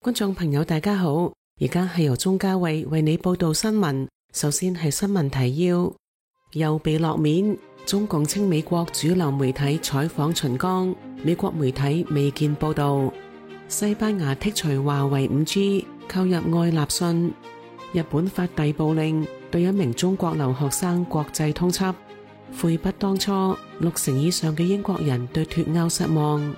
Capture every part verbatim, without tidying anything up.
觀眾朋友大家好，而家係由鍾嘉慧為你報道新聞。首先係新聞提要，又被落面，中共稱美國主流媒體採訪秦剛，美國媒體未見報道。西班牙剔除華為 五 G， 購入愛立信。日本發逮捕令，對一名中國留學生國際通緝。悔不當初，六成以上嘅英國人對脫歐失望。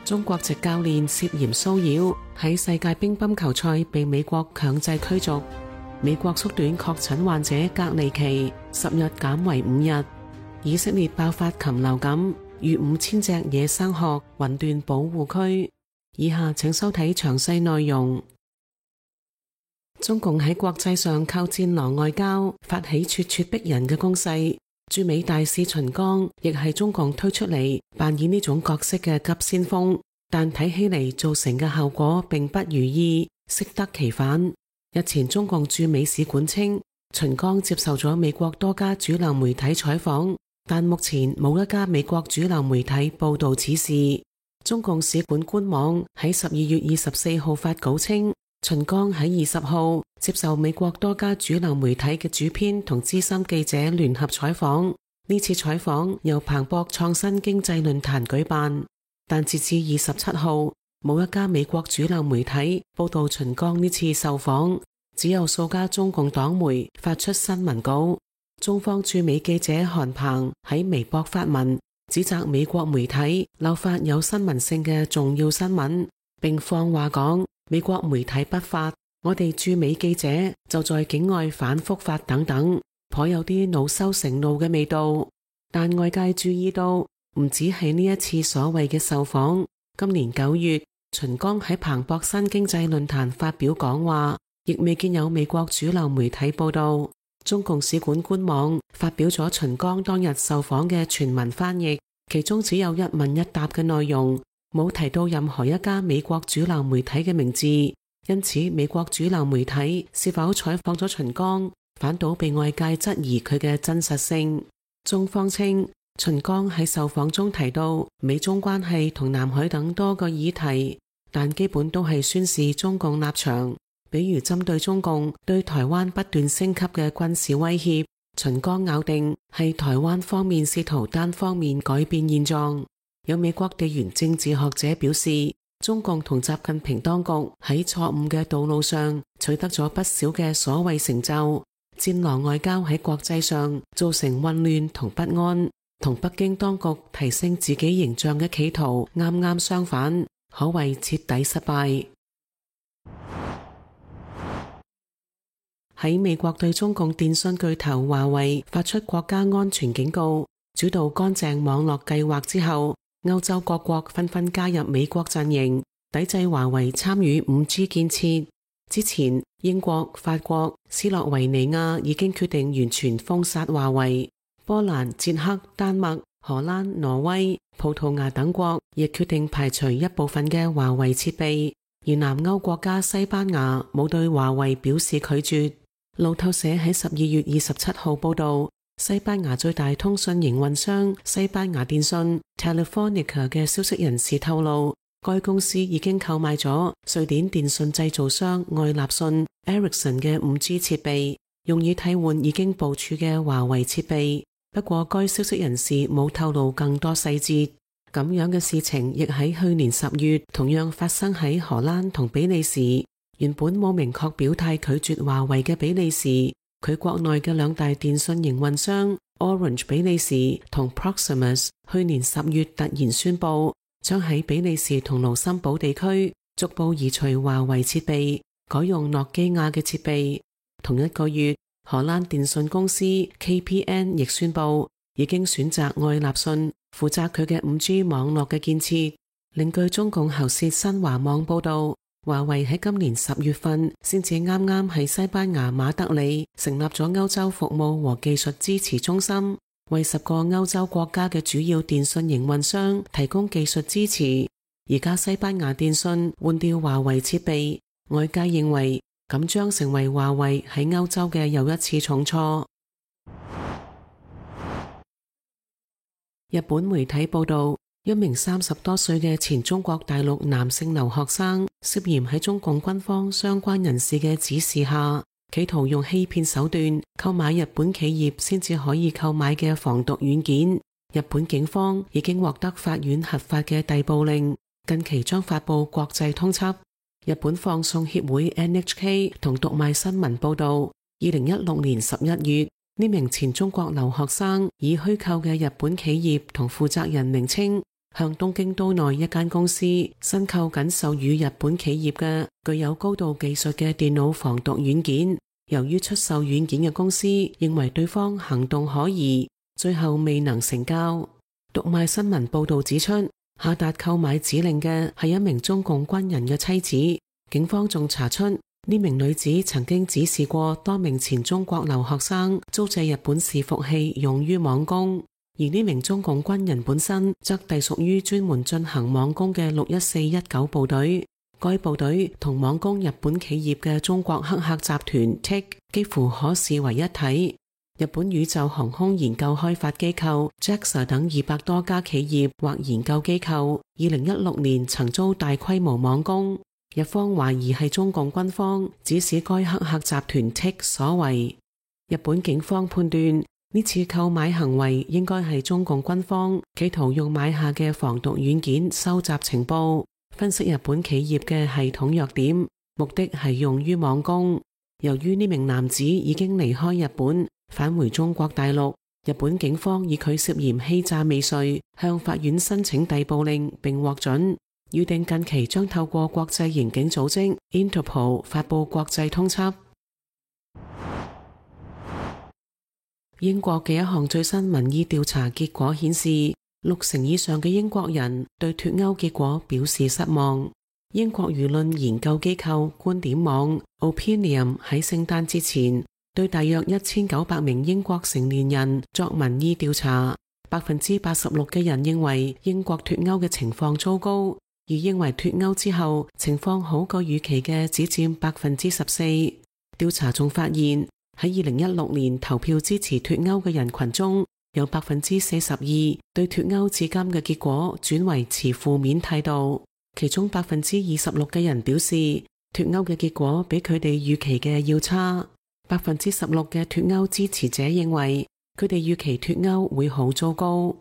中國籍教練涉嫌騷擾，喺世界乒乓球賽被美國強制驅逐。美國縮短確診患者隔離期，十日減為五日。以色列爆發禽流感，逾五千隻野生鶴魂斷保護區。以下請收睇詳細內容。中共喺國際上靠戰狼外交，發起咄咄逼人嘅攻勢。駐美大使秦剛亦係中共推出嚟扮演呢種角色嘅急先鋒，但睇起嚟造成嘅效果並不如意，適得其反。日前中共駐美使館稱，秦剛接受咗美國多家主流媒體採訪，但目前冇一家美國主流媒體報道此事。中共使館官網喺十二月二十四號發稿稱，秦剛喺二十號接受美國多家主流媒體嘅主編同資深記者聯合採訪。呢次採訪由彭博創新經濟論壇舉辦，但截至二十七號，冇一家美國主流媒體報道秦剛呢次受訪，只有數家中共黨媒發出新聞稿。中方駐美記者韓鵬喺微博發文，指責美國媒體漏發有新聞性嘅重要新聞，並放話講美國媒體不發，我哋駐美記者就在境外反覆發等等，頗有啲惱羞成怒嘅味道。但外界注意到，唔止係呢一次所謂嘅受訪。今年九月，秦剛喺彭博新經濟論壇發表講話，亦未見有美國主流媒體報道。中共使館官網發表咗秦剛當日受訪嘅全文翻譯，其中只有一問一答嘅內容，冇提到任何一家美國主流媒體嘅名字，因此美國主流媒體是否採訪咗秦剛，反倒被外界質疑佢嘅真實性。中方稱，秦剛喺受訪中提到美中關係同南海等多個議題，但基本都係宣示中共立場，比如針對中共對台灣不斷升級嘅軍事威脅，秦剛咬定係台灣方面試圖單方面改變現狀。有美國地緣政治學者表示，中共同習近平當局喺錯誤嘅道路上取得咗不少嘅所謂成就，戰狼外交喺國際上造成混亂同不安，同北京當局提升自己形象嘅企圖啱啱相反，可謂徹底失敗。喺美國對中共電信巨頭華為發出國家安全警告，主導乾淨網絡計劃之後，歐洲各國紛紛加入美國陣營，抵制華為參與 五 G 建設。之前，英國、法國、斯洛維尼亞已經決定完全封殺華為，波蘭、捷克、丹麥、荷蘭、挪威、葡萄牙等國亦決定排除一部分嘅華為設備，而南歐國家西班牙冇對華為表示拒絕。路透社喺十二月二十七號報道，西班牙最大通訊營運商西班牙電信 Telefonica 嘅消息人士透露，該公司已經購買咗瑞典電信製造商愛立信 Ericsson 嘅 五 G 設備，用以替換已經部署嘅華為設備。不過該消息人士冇透露更多細節。咁樣嘅事情亦喺去年十月同樣發生喺荷蘭同比利時。原本冇明確表態拒絕華為嘅比利時，佢國內嘅兩大電信營運商 Orange 比利時同 Proximus 去年十月突然宣布，將喺比利時同盧森堡地區逐步移除華為設備，改用諾基亞嘅設備。同一個月，荷蘭電信公司 K P N 亦宣布，已經選擇愛立信負責佢嘅 五 G 網絡嘅建設。另據中共喉舌新華網報道，華為喺今年十月份先至啱啱喺西班牙馬德里成立咗歐洲服務和技術支持中心，為十個歐洲國家嘅主要電信營運商提供技術支持。而家西班牙電信換掉華為設備，外界認為咁將成為華為喺歐洲嘅又一次重挫。日本媒體報道，一名三十多歲嘅前中國大陸男性留學生涉嫌喺中共軍方相關人士嘅指示下，企圖用欺騙手段購買日本企業先至可以購買嘅防毒軟件。日本警方已經獲得法院核發嘅逮捕令，近期將發布國際通緝。日本放送協會 N H K 同讀賣新聞報道，二零一六年十一月，呢名前中國留學生以虛構嘅日本企業同負責人名稱，向東京都內一間公司申購緊授予日本企業嘅具有高度技術嘅電腦防毒軟件。由於出售軟件嘅公司認為對方行動可疑，最後未能成交。讀賣新聞報道指出，下達購買指令嘅係一名中共軍人嘅妻子。警方仲查出呢名女子曾經指示過多名前中國留學生租借日本伺服器用於網攻。而呢名中共軍人本身則隸屬於專門進行網攻嘅六一四一九部隊，該部隊同網攻日本企業嘅中國黑客集團 T I C 幾乎可視為一體。日本宇宙航空研究開發機構 J A X A 等二百多家企業或研究機構，二零一六年曾遭大規模網攻，日方懷疑係中共軍方指使該黑客集團 T I C 所為。日本警方判斷，呢次購買行為應該係中共軍方企圖用買下嘅防毒軟件收集情報，分析日本企業嘅系統弱點，目的係用於網攻。由於呢名男子已經離開日本，返回中國大陸，日本警方以佢涉嫌欺詐未遂，向法院申請逮捕令並獲准，預定近期將透過國際刑警組織 Interpol 發佈國際通緝。英國嘅一項最新民意調查結果顯示，六成以上嘅英國人對脫歐結果表示失望。英國輿論研究機構觀點網 Opinium 喺聖誕節前對大約一千九百名英國成年人作民意調查，百分之八十六嘅人認為英國脫歐嘅情況糟糕，而認為脫歐之後情況好過預期嘅只佔百分之十四。調查仲發現，喺二零一六年投票支持脫歐嘅人群中，有百分之四十二對脫歐至今嘅結果轉為持負面態度，其中百分之二十六嘅人表示脫歐嘅結果比佢哋預期嘅要差，百分之十六嘅脫歐支持者認為佢哋預期脫歐會好糟糕。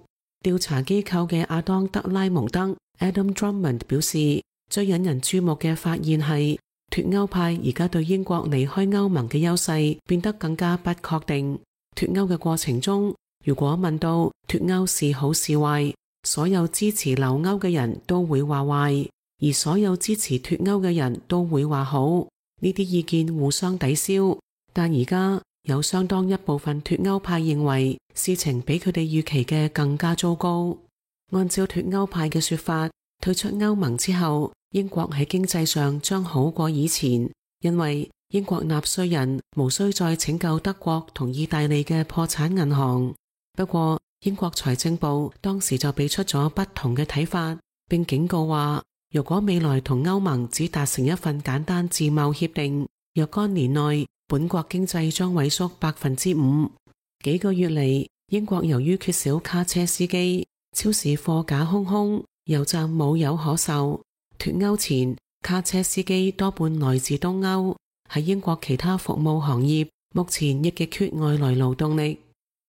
調查機構嘅亞當德拉蒙德 Adam Drummond 表示，最引人注目嘅發現係脫歐派而家對英國離開歐盟嘅優勢變得更加不確定。脫歐嘅過程中，如果問到脫歐是好是壞，所有支持留歐嘅人都會話壞，而所有支持脫歐嘅人都會話好。呢啲意見互相抵消，但而家有相當一部分脫歐派認為事情比佢哋預期嘅更加糟糕。按照脫歐派嘅說法，退出歐盟之後，英國喺經濟上將好過以前，因為英國納稅人無需再拯救德國同意大利嘅破產銀行。不過，英國財政部當時就俾出咗不同嘅睇法，並警告話，如果未來同歐盟只達成一份簡單自貿協定，若干年內本國經濟將萎縮百分之五。幾個月嚟，英國由於缺少卡車司機，超市貨架空空，油站冇油可售。脫歐前，卡車司機多半來自東歐。喺英國其他服務行業，目前亦極缺外來勞動力。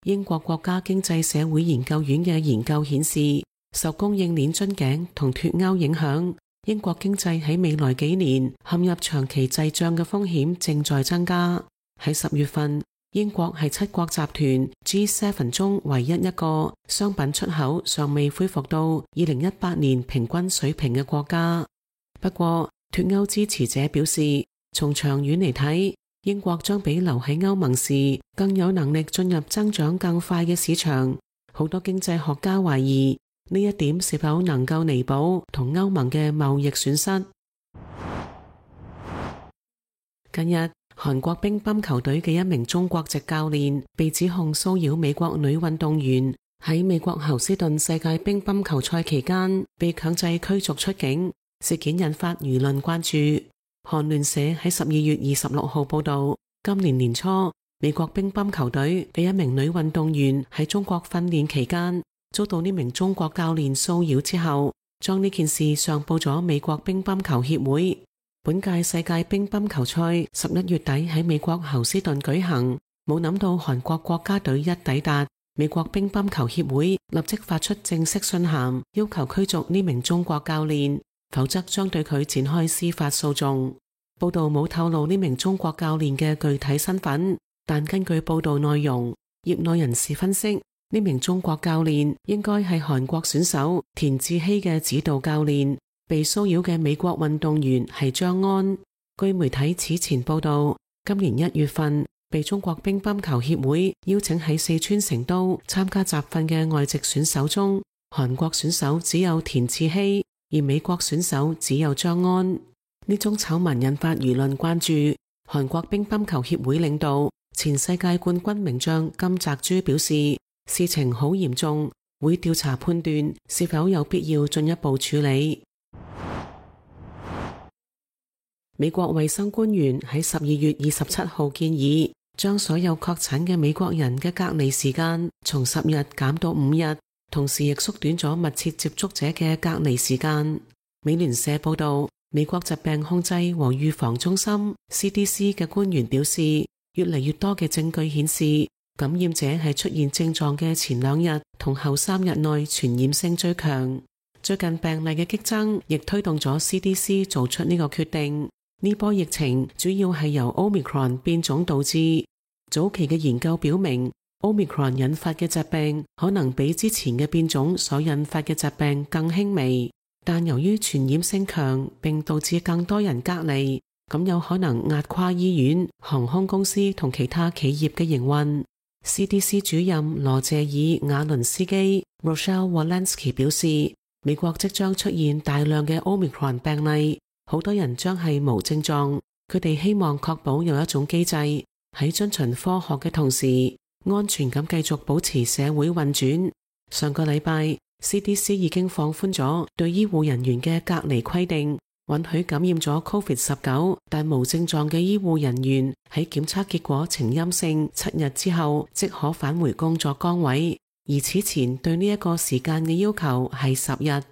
英國國家經濟社會研究院嘅研究顯示，受供應鏈樽頸同脫歐影響，英國經濟喺未來幾年陷入長期滯脹嘅風險正在增加。喺十月份，英國係七國集團 G 七 中唯一一個商品出口尚未恢復到二零一八年平均水平嘅國家。不過，脫歐支持者表示，從長遠嚟睇，英國將比留喺歐盟時更有能力進入增長更快嘅市場。好多經濟學家懷疑呢一點是否能夠彌補同歐盟嘅貿易損失。近日，韓國乒乓球隊嘅一名中國籍教練被指控騷擾美國女運動員，喺美國侯斯頓世界乒乓球賽期間被強制驅逐出境，事件引發輿論關注。韓聯社喺十二月二十六號報道，今年年初，美國乒乓球隊嘅一名女運動員喺中國訓練期間遭到呢名中國教練騷擾之後，將呢件事上報咗美國乒乓球協會。本屆世界乒乓球賽十一月底喺美國侯斯頓舉行，冇諗到韓國國家隊一抵達，美國乒乓球協會立即發出正式信函，要求驅逐呢名中國教練，否則將對佢展開司法訴訟。報道冇透露呢名中國教練嘅具體身份，但根據報道內容，業內人士分析，呢名中國教練應該係韓國選手田志希嘅指導教練。被騷擾嘅美國運動員係張安。據媒體此前報道，今年一月份被中國乒乓球協會邀請喺四川成都參加集訓嘅外籍選手中，韓國選手只有田志希，而美國選手只有張安。呢宗醜聞引發輿論關注。韓國乒乓球協會領導前世界冠軍名將金澤洙表示，事情好嚴重，會調查判斷是否有必要進一步處理。美國衛生官員喺十二月二十七號建議，將所有確診嘅美國人嘅隔離時間從十日減到五日，同時亦縮短咗密切接觸者嘅隔離時間。美聯社報道，美國疾病控制和預防中心 C D C 嘅官員表示，越嚟越多嘅證據顯示，感染者係出現症狀嘅前兩日同後三日內傳染性最強。最近病例嘅激增亦推動咗 C D C 做出呢個決定。呢波疫情主要係由 Omicron 變種導致。早期嘅研究表明， Omicron 引發嘅疾病可能比之前嘅變種所引發嘅疾病更輕微，但由於傳染性強並導致更多人隔離，咁有可能壓垮醫院、航空公司同其他企業嘅營運。C D C 主任羅謝爾瓦倫斯基 Rochelle Walensky 表示，美國即將出現大量嘅 Omicron 病例，好多人將係無症狀，佢哋希望確保有一種機制喺遵循科學嘅同時，安全咁繼續保持社會運轉。上個禮拜 C D C 已經放寬咗對醫護人員嘅隔離規定，允許感染咗 COVID 十九 但無症狀嘅醫護人員喺檢測結果呈陰性七日之後即可返回工作崗位，而此前對呢一個時間嘅要求係十日。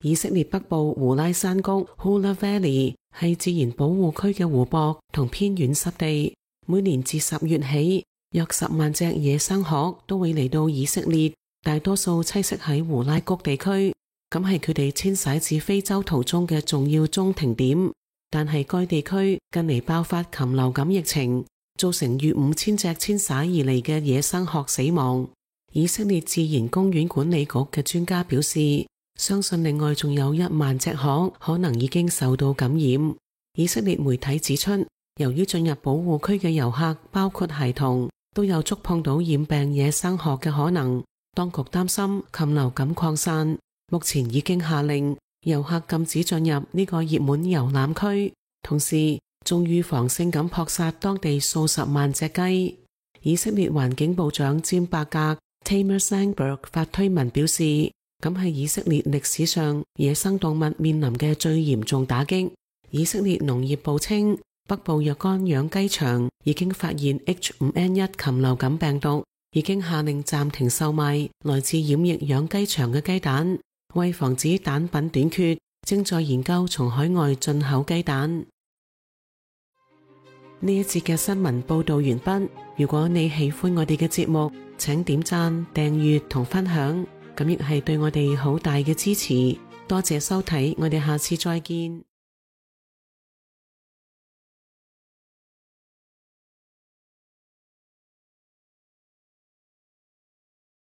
以色列北部胡拉山谷 Hula Valley 係自然保護區嘅湖泊同偏遠濕地，每年自十月起，約十萬隻野生鶴都會嚟到以色列，大多數棲息喺胡拉谷地區，咁係佢哋遷徙至非洲途中嘅重要中停點。但係該地區近嚟爆發禽流感疫情，造成逾五千隻遷徙而嚟嘅野生鶴死亡。以色列自然公園管理局嘅專家表示，相信另外仲有一萬隻鶴可能已經受到感染。以色列媒體指出，由於進入保護區嘅遊客包括孩童，都有觸碰到染病野生鶴嘅可能，當局擔心禽流感擴散，目前已經下令遊客禁止進入呢個熱門遊覽區，同時仲預防性咁撲殺當地數十萬隻雞。以色列環境部長詹伯格 Tamer Sandberg 發推文表示，咁係以色列歷史上野生動物面臨嘅最嚴重打擊。以色列農業部稱，北部若干養雞場已經發現 H 五 N 一 禽流感病毒，已經下令暫停售賣來自染疫養雞場嘅雞蛋。為防止蛋品短缺，正在研究從海外進口雞蛋。呢一節嘅新聞報道完畢。如果你喜歡我哋嘅節目，請點讚、訂閱同分享。咁亦係對我哋好大嘅支持，多謝收睇，我哋下次再見。